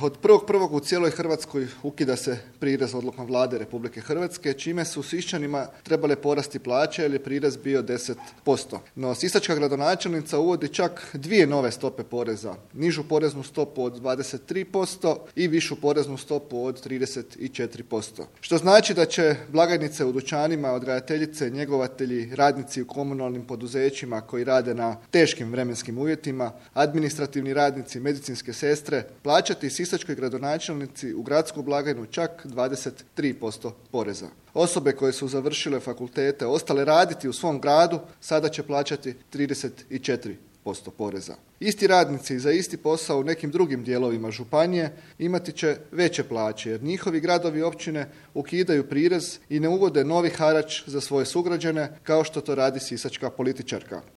Od 1.1. u cijeloj Hrvatskoj ukida se prirez odlukom Vlade Republike Hrvatske, čime su Siščanima trebale porasti plaće jer je prirez bio 10%. No, sisačka gradonačelnica uvodi čak dvije nove stope poreza. Nižu poreznu stopu od 23% i višu poreznu stopu od 34%. Što znači da će blagajnice u dućanima, odgajateljice, njegovatelji, radnici u komunalnim poduzećima koji rade na teškim vremenskim uvjetima, administrativni radnici, medicinske sestre, plaćati sisačkoj gradonačelnici u gradsku blagajnu čak 23% poreza. Osobe koje su završile fakultete, ostale raditi u svom gradu, sada će plaćati 34% poreza. Isti radnici za isti posao u nekim drugim dijelovima županije imati će veće plaće, jer njihovi gradovi i općine ukidaju prirez i ne uvode novi harač za svoje sugrađane, kao što to radi sisačka političarka.